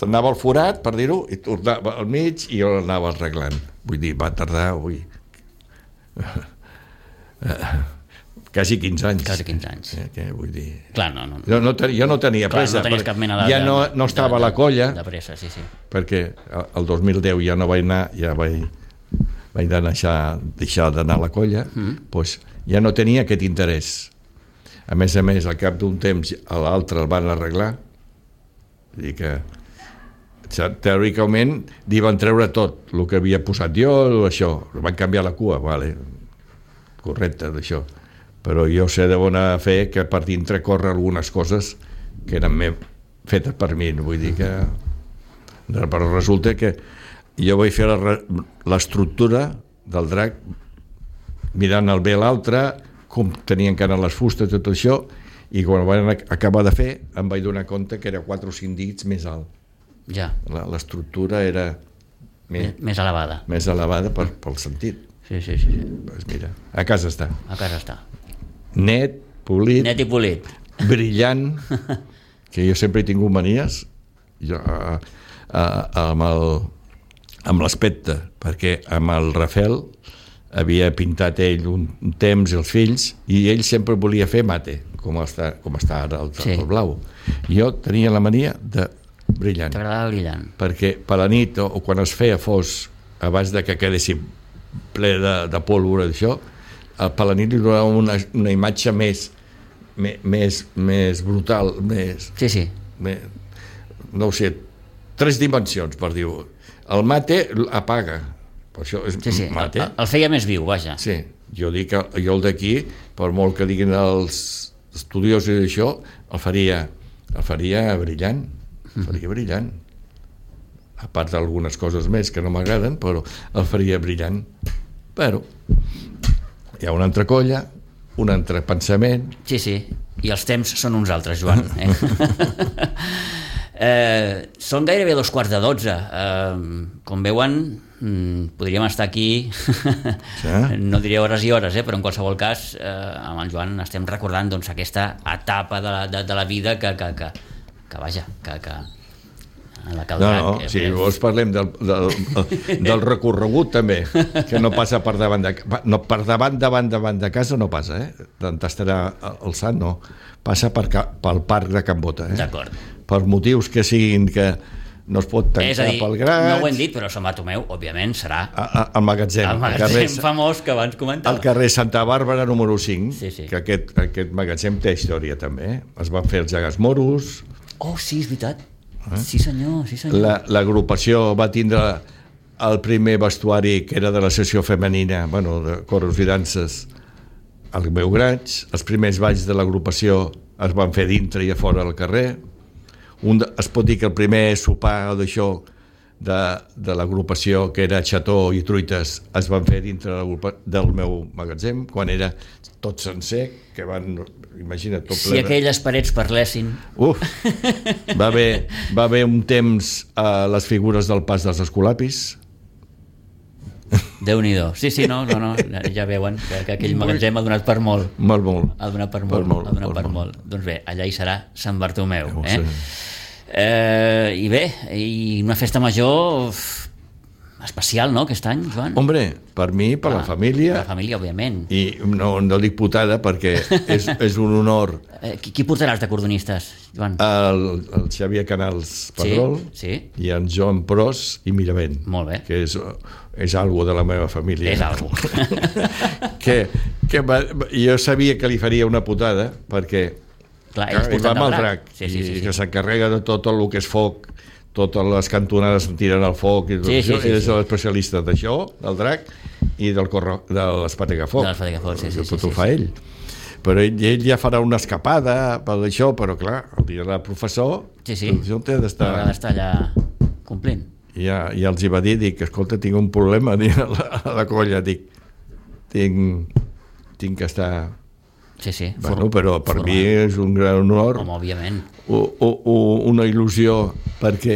S3: anava al forat, per dir-ho, i tornava al mig i jo l'anava arreglant. Vull dir, va tardar, ui, quasi quinze anys.
S2: Quasi quinze anys.
S3: Eh, que vull dir...
S2: Clar, no, no.
S3: Jo no, jo no tenia
S2: Clar,
S3: pressa.
S2: No tenies cap mena de...
S3: Ja no, no estava
S2: de, de,
S3: a la colla.
S2: De pressa, sí, sí.
S3: Perquè el dos mil deu ja no vaig anar, ja vaig, vaig deixar, deixar d'anar a la colla, mm. doncs ja no tenia aquest interès. A més a més, al cap d'un temps a l'altre el van arreglar. Vull dir que teòricament li van treure tot el que havia posat jo, això, van canviar la cua, vale, correcte d'això, però jo sé de bona fe que per dintre corre algunes coses que eren fetes per mi, vull dir que però resulta que jo vaig fer l'estructura del drac mirant el bé a l'altre, com tenien que anar les fustes, tot això, i quan ho van acabar de fer em vaig donar compte que era quatre o cinc dits més alt.
S2: Ja.
S3: L'estructura era
S2: més, més elevada.
S3: Més elevada per, pel sentit.
S2: Sí, sí, sí.
S3: Pues mira, a casa està.
S2: A casa està.
S3: Net, polit.
S2: Net i polit.
S3: Brillant, que jo sempre he tingut manies, jo, a, a, amb el amb l'aspecte, perquè amb el Rafael havia pintat ell un, un temps i els fills, i ell sempre volia fer mate, com està, com està ara el, sí. el blau. Jo tenia la mania de brillant.
S2: T'agradava brillant.
S3: Perquè per la nit, o, o quan es feia fos, abans de que quedessin ple de, de pólvora d'això, per la nit li donava una, una imatge més, més, més, més brutal, més...
S2: Sí, sí.
S3: Més, no ho sé, tres dimensions, per dir-ho. El mate apaga, per això és
S2: sí, sí.
S3: mate.
S2: El, el feia més viu, vaja.
S3: Sí, jo dic que jo el d'aquí, per molt que diguin els estudiosos d'això, el faria, el faria brillant, el faria brillant. A part d'algunes coses més que no m'agraden, però el faria brillant. Però hi ha una altra colla, un altre pensament...
S2: Sí, sí, i els temps són uns altres, Joan. Eh? Eh, són gairebé dos quarts de dotze. Eh, com veuen, podríem estar aquí, sí. No diria hores i hores, eh, però en qualsevol cas, eh, amb el Joan estem recordant doncs, aquesta etapa de la, de, de la vida que, que, que, que vaja, que... que la
S3: no, no, eh, si vols parlem del, del, del recorregut també, que no passa per davant de, no, per davant, davant, davant de casa no passa, eh? T'estarà el sant, no. Passa per, pel parc de Can Bota, eh?
S2: D'acord.
S3: Per motius que siguin que no es pot tancar
S2: és a dir,
S3: pel graig.
S2: No ho hem dit, però Sant Bartomeu, òbviament, serà
S3: al magatzem.
S2: El magatzem carrer, famós que abans comentava.
S3: Al carrer Santa Bàrbara número cinc,
S2: sí, sí.
S3: Que aquest, aquest magatzem té història també, eh? Es van fer els gegants moros.
S2: Oh, sí, és veritat. Eh? Sí senyor, sí senyor.
S3: L'agrupació va tindre el primer vestuari que era de la sessió femenina, bueno, de coros i danses, al meu graig. Els primers balls de l'agrupació es van fer dintre i a fora al carrer. Un de, es pot dir que el primer sopar d'això de, de l'agrupació, que era xató i truites, es van fer dintre del meu magatzem, quan era tot sencer, que van, imagina't, tot ple de...
S2: Si aquelles parets parlessin...
S3: Uf, va haver, va haver un temps a les figures del pas dels escolapis.
S2: Déu-n'hi-do. Sí, sí, no, no, no, ja veuen que, que aquell magatzem ha donat per molt.
S3: Molt, molt.
S2: Ha donat per molt, molt, ha donat per molt. molt. Doncs bé, allà hi serà Sant Bartomeu. Eh? Eh, I bé, i una festa major especial, no, aquest any, Joan?
S3: Hombre, per mi, per ah, la família...
S2: Per la família, òbviament.
S3: I no, no dic putada perquè és, és un honor...
S2: Eh, qui, qui portaràs de cordonistes, Joan?
S3: El, el Xavier Canals Pedrol,
S2: sí, sí.
S3: I en Joan Pros i Miravent.
S2: Molt bé.
S3: Que és, és algo de la meva família.
S2: És algo.
S3: que, que va, jo sabia que li faria una putada perquè...
S2: Clar, ells porten
S3: el drac.
S2: Sí, sí, sí,
S3: i
S2: sí.
S3: que s'encarrega de tot el que és foc, totes les cantonades tiren al foc i tot
S2: sí,
S3: això,
S2: sí, sí,
S3: és
S2: sí.
S3: l'especialista d'això, del drac i del corro, de l'espatagafoc.
S2: De l'espatagafoc, sí, sí, sí.
S3: Tot ho
S2: sí,
S3: fa
S2: sí.
S3: ell. Però ell, ell ja farà una escapada per això, però clar, el dia del professor,
S2: sí, sí.
S3: el té d'estar...
S2: Haurà d'estar allà complint.
S3: I ja, ja els hi va dir, dic, escolta, tinc un problema dic, a, la, a la colla, dic, tinc, tinc que estar...
S2: Sí, sí.
S3: Bueno, però per mi és un gran honor.
S2: Home, òbviament.
S3: O, o, o una il·lusió perquè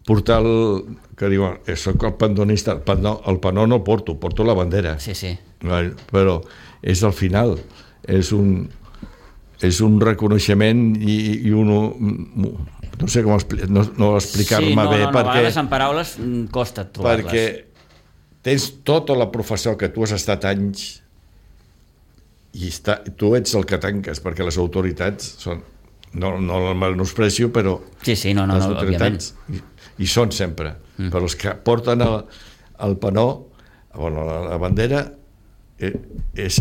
S3: portar el... que diuen, soc el pandonista, el panó, el panó no el porto, porto la bandera.
S2: Sí, sí.
S3: Però és al final, és un, és un reconeixement i, i un... no sé com expli no, no explicar-me
S2: sí, no,
S3: bé,
S2: no, no,
S3: perquè...
S2: a vegades en paraules costa trobar-les.
S3: Perquè tens tota la professió que tu has estat anys i està, tu ets el que tanques, perquè les autoritats són, no, no el menosprecio, però
S2: sí, sí, no, no,
S3: les
S2: no,
S3: autoritats i, i són sempre, mm. però els que porten el, el panó, bueno, la, la bandera eh, és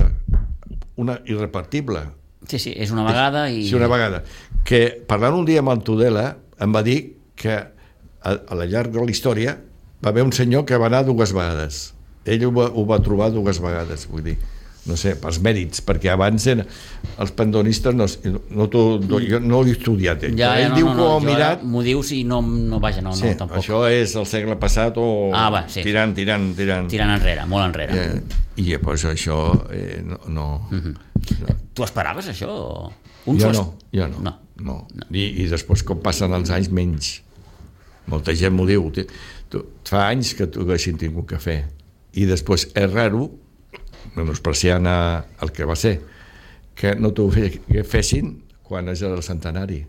S3: una irrepartible.
S2: Sí, sí, és una vegada i...
S3: Sí, una vegada. Que parlant un dia amb el Tudela em va dir que a, a la llarg de la història va haver un senyor que va anar dues vegades. Ell ho va, ho va trobar dues vegades, vull dir, no sé, pels mèrits, perquè abans eren, els pandonistes no, no, no, jo no l'he estudiat, ell,
S2: ja,
S3: ell
S2: no,
S3: diu
S2: no,
S3: que ho
S2: no,
S3: ha mirat.
S2: M'ho dius i no, no vaja, no,
S3: Sí,
S2: no, tampoc.
S3: això és el segle passat o
S2: ah, va, sí.
S3: tirant, tirant, tirant.
S2: Tirant enrere, molt enrere.
S3: Eh, I pues, això eh, no... no,
S2: uh-huh.
S3: no.
S2: Tu esperaves això? Un
S3: jo,
S2: sost...
S3: no, jo no,
S2: no.
S3: no. no. I, I després, com passen els anys, menys. Molta gent m'ho diu. Tu, fa anys que tu haguessin tingut que fer. I després és raro, menospreciant el que va ser, que no t'ho fessin quan és el centenari.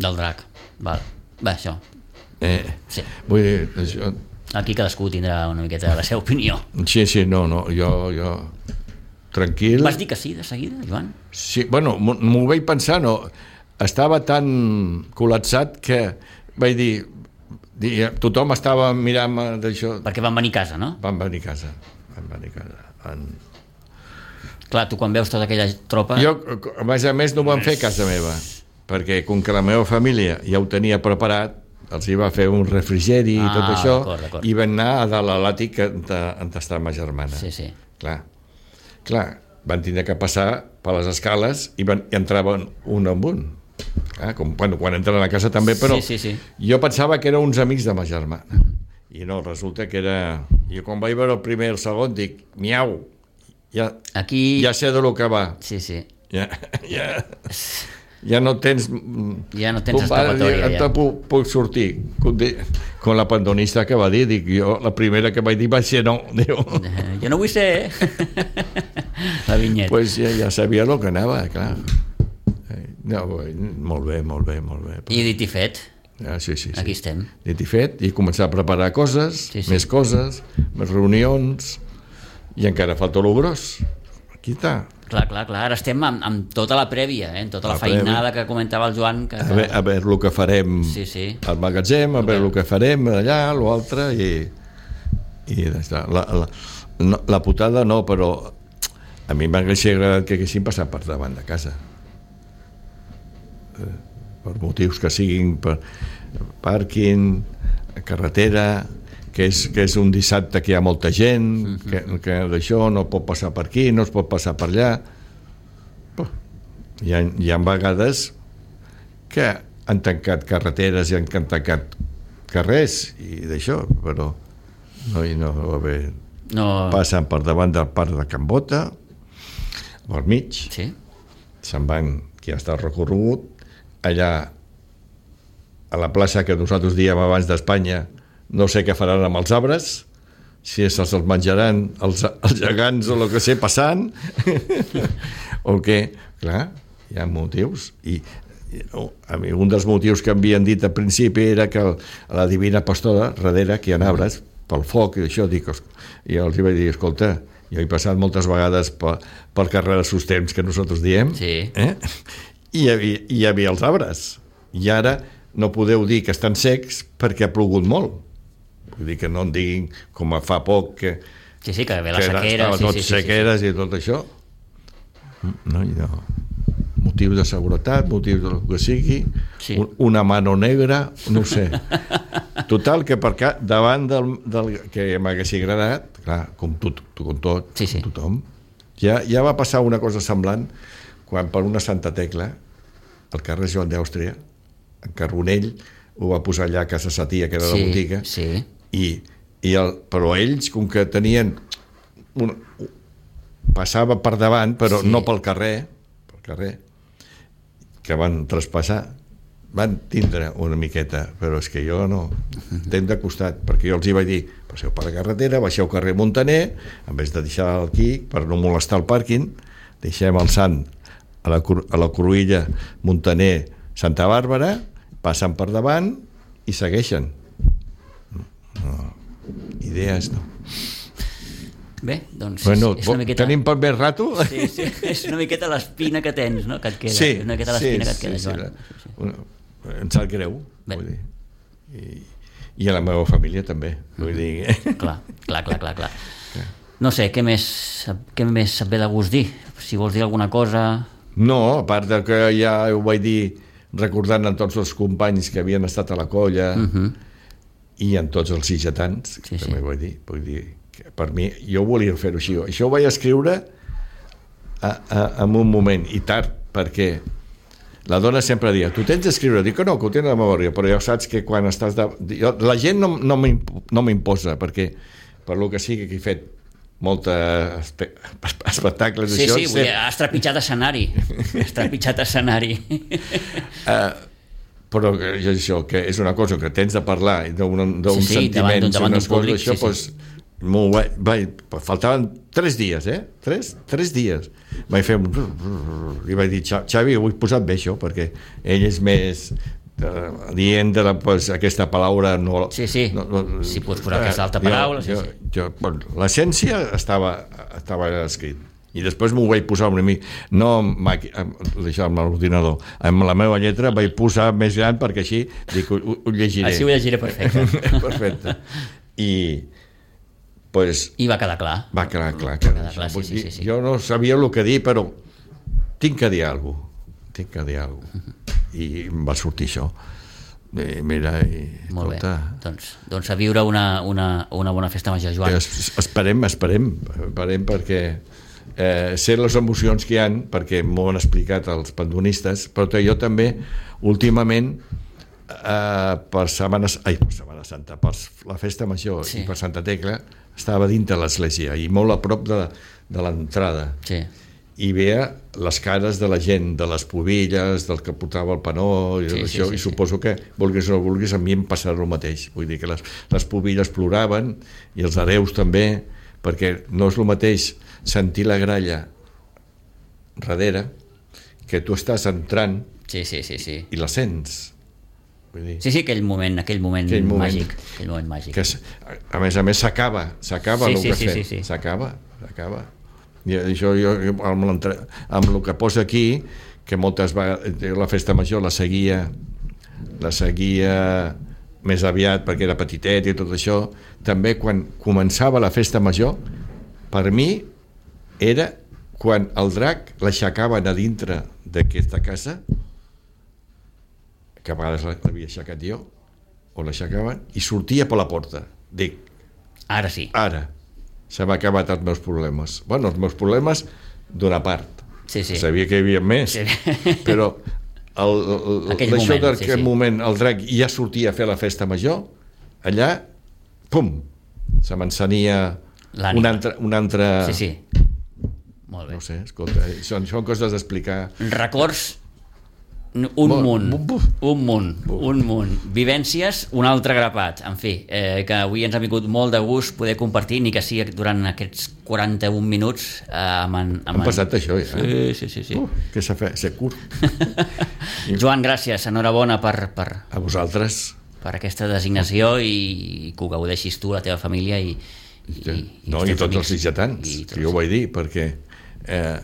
S2: Del drac. Val. Bé, això.
S3: Eh,
S2: sí.
S3: Vull dir, això...
S2: Aquí cadascú tindrà una miqueta la seva opinió.
S3: Sí, sí, no, no, jo... jo... Tranquil.
S2: Vas dir que sí, de seguida, Joan?
S3: Sí, bueno, m'ho vaig pensar, no. Estava tan col·lapsat que vaig dir... dir tothom estava mirant d'això.
S2: Perquè van venir a casa, no?
S3: Van venir a casa. Van venir a casa. Van...
S2: Clar, tu quan veus tota aquella tropa...
S3: Jo, a més a més, no ho van fer a casa meva, perquè com que la meva família ja ho tenia preparat, els hi va fer un refrigeri i
S2: ah,
S3: tot això,
S2: d'acord, d'acord.
S3: i van anar a dalt a l'àtic on està ma germana.
S2: Sí, sí.
S3: Clar, clar, van tindre que passar per les escales i, van, i entraven un amb un. Ah, com, bueno, quan entren a casa també, però
S2: sí, sí, sí.
S3: Jo pensava que eren uns amics de ma germana. I no, resulta que era... Jo quan vaig veure el primer i el segon dic, miau, ja,
S2: aquí...
S3: ja sé de lo que va.
S2: Sí, sí.
S3: Ja, ja, ja no tens...
S2: Ja no tens escapatòria.
S3: Ja puc, puc sortir. Com la pandonista que va dir, dic jo, la primera que vaig dir va ser no. Diu.
S2: Jo no vull ser, eh? La vinyeta.
S3: Pues ja, ja sabia el que anava, clar. No, molt bé, molt bé, molt bé.
S2: I dit i fet.
S3: Ah, sí, sí, sí.
S2: Aquí estem.
S3: Dit i fet, i començar a preparar coses,
S2: sí, sí.
S3: més coses, més reunions, i encara falta lo gros. Aquí està.
S2: Clar, clar, clar. Ara estem amb, amb tota la prèvia, eh? Amb tota la, la feinada que comentava el Joan. Que, que...
S3: A, veure, a veure el que farem
S2: sí, sí.
S3: al magatzem, a veure el que farem allà, l'altre, i, i la, la, no, la putada no, però a mi m'hauria agradat que haguessin passat per davant de casa. Per motius que siguin per pàrquing, carretera, que és, que és un dissabte que hi ha molta gent, mm-hmm. que, que d'això no pot passar per aquí, no es pot passar per allà. Hi ha, hi ha vegades que han tancat carreteres i han tancat carrers i d'això, però no, no va bé.
S2: No.
S3: Passen per davant del parc de Can Bota, al mig,
S2: sí.
S3: Se'n van, que ja està recorregut, allà a la plaça que nosaltres diem abans d'Espanya, no sé què faran amb els arbres, si se'ls els menjaran els, els gegants o el que sé passant o què, clar, hi ha motius i, i oh, a mi un dels motius que havien dit al principi era que el, a la Divina Pastora, darrere que hi ha arbres pel foc i això, dic, i els vaig dir, escolta, jo he passat moltes vegades pel, pel carrer dels Sustems que nosaltres diem,
S2: sí.
S3: eh? I hi havia, hi havia els arbres i ara no podeu dir que estan secs perquè ha plogut molt, vull dir que no en diguin com fa poc que,
S2: sí, sí, que ve la
S3: que
S2: sequera,
S3: estava
S2: sí,
S3: tot
S2: sí, sí,
S3: sequeres
S2: sí, sí.
S3: I tot això no, no. Motius de seguretat, motius del que sigui, sí. un, una mano negra, no ho sé. Total, que per ca, davant del, del que m'hagués agradat, clar, com tot, com tot,
S2: sí, sí.
S3: com tothom, ja, ja va passar una cosa semblant quan per una Santa Tecla, al carrer Joan d'Àustria, en Carbonell, ho va posar allà a Casa Sa Tia, que era
S2: sí,
S3: la botiga,
S2: sí.
S3: i, i el, però ells, com que tenien... Un, passava per davant, però sí. no pel carrer, pel carrer, que van traspassar, van tindre una miqueta, però és que jo no tenc de costat, perquè jo els hi vaig dir, passeu per la carretera, baixeu carrer Montaner, en vez de deixar aquí, per no molestar el pàrquing, deixem el Sant a la, a la Cruïlla Montaner Santa Bàrbara, passen per davant i segueixen. No, idees no.
S2: Bé, doncs
S3: bueno,
S2: és una miqueta...
S3: Tenim per més rato?
S2: Sí, sí, és una miqueta l'espina que tens, no?, que et queda.
S3: Sí,
S2: és una miqueta l'espina
S3: sí,
S2: que et queda,
S3: sí,
S2: Joan.
S3: sí, sí. Una, em sap greu,
S2: bé.
S3: Vull dir. I, I a la meva família també, vull dir.
S2: Clar, clar, clar, clar, clar. No sé, què més, què més et ve de gust dir? Si vols dir alguna cosa...
S3: No, a part de que ja ho vaig dir recordant en tots els companys que havien estat a la colla uh-huh. i en tots els sitgetans, sí, també sí. vull dir, vull dir que per mi, jo volia fer-ho així. Això ho vaig escriure a, a, en un moment, i tard, perquè la dona sempre dia, tu tens d'escriure, dic que no, que ho tens a la memòria, però ja saps que quan estàs de... Jo, la gent no, no m'imposa, perquè per lo que sigui que he fet molta espe... espectacles
S2: sí,
S3: això,
S2: sí, vull dir, has trepitjat escenari has trepitjat escenari
S3: uh, però jo això, que és una cosa que tens de parlar d'un sí, sí, sentiment, davant d'un públic, això, sí, pues, sí. M'ho vaig, vaig, faltaven tres dies, eh? Tres, tres dies. Vaig fer un... I vaig dir, Xavi, ho he posat bé, això, perquè ell és més... Uh, dient de la, pues, aquesta paraula... No,
S2: sí, sí, no, no, si pots posar uh, aquesta altra paraula... Jo, sí, sí.
S3: Jo, bueno, l'essència estava, estava escrit. I després m'ho vaig posar una mica... No deixar amb l'ordinador. Amb la meva lletra vaig posar més gran perquè així dic, ho, ho llegiré.
S2: Així ho llegiré perfecte.
S3: Perfecte. I... Pues,
S2: I va quedar clar.
S3: Va quedar clar. Que
S2: quedar clar sí, sí, sí, sí.
S3: Jo no sabia el que dir, però tinc que dir alguna cosa. Tinc que dir alguna cosa. I em va sortir això. I mira, i...
S2: Molt escolta, bé. Doncs, doncs a viure una, una, una bona festa major, Joan.
S3: Es, esperem, esperem, esperem perquè eh, sé les emocions que hi ha, perquè m'ho han explicat els pandonistes, però jo també, últimament, eh, per setmanes... Ai, per Setmana Santa, per la festa major sí. i per Santa Tecla, estava dintre l'església i molt a prop de, de l'entrada
S2: sí.
S3: i veia les cares de la gent, de les pobilles, del que portava el panó i, sí, això, sí, sí, i suposo sí. que vulguis o no vulguis a mi em passarà el mateix, vull dir que les, les pobilles ploraven i els hereus també, perquè no és el mateix sentir la gralla darrere que tu estàs entrant
S2: sí, sí, sí, sí.
S3: i la sents.
S2: Sí, sí, aquell moment, aquell moment, aquell moment màgic, aquell moment màgic.
S3: Que, a més a més s'acaba, s'acaba
S2: sí,
S3: el
S2: sí,
S3: que
S2: sí,
S3: fem,
S2: sí, sí.
S3: s'acaba, s'acaba. I això jo amb, amb el que posa aquí, que moltes vegades la festa major la seguia, la seguia més aviat perquè era petitet i tot això, també quan començava la festa major, per mi era quan el drac l'aixecaven a dintre d'aquesta casa, que a vegades l'havia aixecat jo, o l'aixecaven, i sortia per la porta. Dic,
S2: ara sí.
S3: Ara, s'han acabat els meus problemes. Bueno, els meus problemes d'una part.
S2: Sí, sí.
S3: Sabia que hi havia més, sí. però el, el,
S2: aquell
S3: això
S2: moment,
S3: d'aquell sí, sí. moment, el drac ja sortia a fer la festa major, allà, pum, se m'encenia un altre, un altre...
S2: Sí, sí. Molt bé.
S3: No sé, escolta, són, són coses d'explicar.
S2: Records... Un munt, un munt, un munt. Vivències, un altre grapat. En fi, eh, que avui ens ha vingut molt de gust poder compartir, ni que sigui durant aquests quaranta-un minuts eh, amb en... Amb
S3: Han passat en... això, ja.
S2: Sí, sí, sí. sí.
S3: Uh, que s'ha fet, s'ha curt.
S2: Joan, gràcies, enhorabona per, per...
S3: A vosaltres.
S2: Per aquesta designació i que ho gaudeixis tu, la teva família i... i,
S3: ja.
S2: i
S3: no, i tots amics. Els sitgetans, que jo ho vaig dir, perquè... Eh,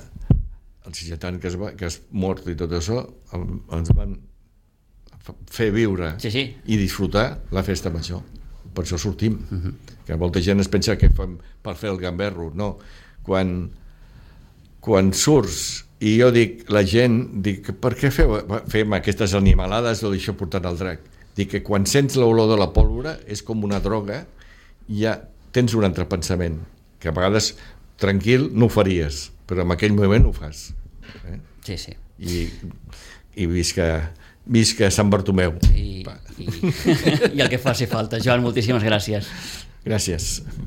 S3: el sitgetant que es, va, que es mort i tot això ens van fer viure
S2: sí, sí.
S3: i disfrutar la festa major, per això sortim.
S2: Uh-huh.
S3: Que molta gent es pensa que fem per fer el gamberro, no, quan quan surts i jo dic, la gent dic, per què feu, fem aquestes animalades o d'això portant el drac? Dic que quan sents l'olor de la pólvora és com una droga i ja tens un altre pensament que a vegades tranquil no ho faries, però en aquell moment ho fas. Eh?
S2: Sí, sí.
S3: I, i visca, visca Sant Bartomeu.
S2: I, i, i el que faci falta. Joan, moltíssimes gràcies.
S3: Gràcies.